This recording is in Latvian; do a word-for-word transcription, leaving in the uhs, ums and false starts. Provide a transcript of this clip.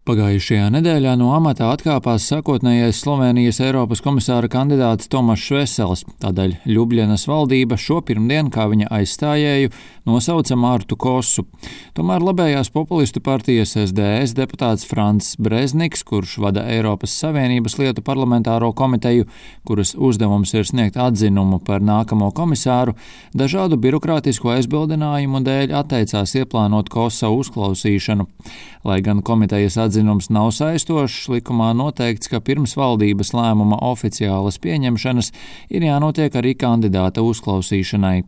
Pagājušajā nedēļā no amata atkāpās sākotnējais Slovēnijas Eiropas komisāra kandidāts Tomašs Vesels, tādēļ Ļubļanas valdība šo pirmdienu kā viņa aizstājēju nosauca Martu Kosu. Tomēr labējās populistu partijas S D S deputāts Frants Brezniks, kurš vada Eiropas Savienības lietu parlamentāro komiteju, kuras uzdevums ir sniegt atzinumu par nākamo komisāru, dažādu birokrātisku aizbildinājumu dēļ atteicās ieplānot Kosa uzklausīšanu. Lai gan komitejas atzinums nav saistošs, likumā noteikts, ka pirms valdības lēmuma oficiālas pieņemšanas ir jānotiek arī kandidāta uzklausīšanai.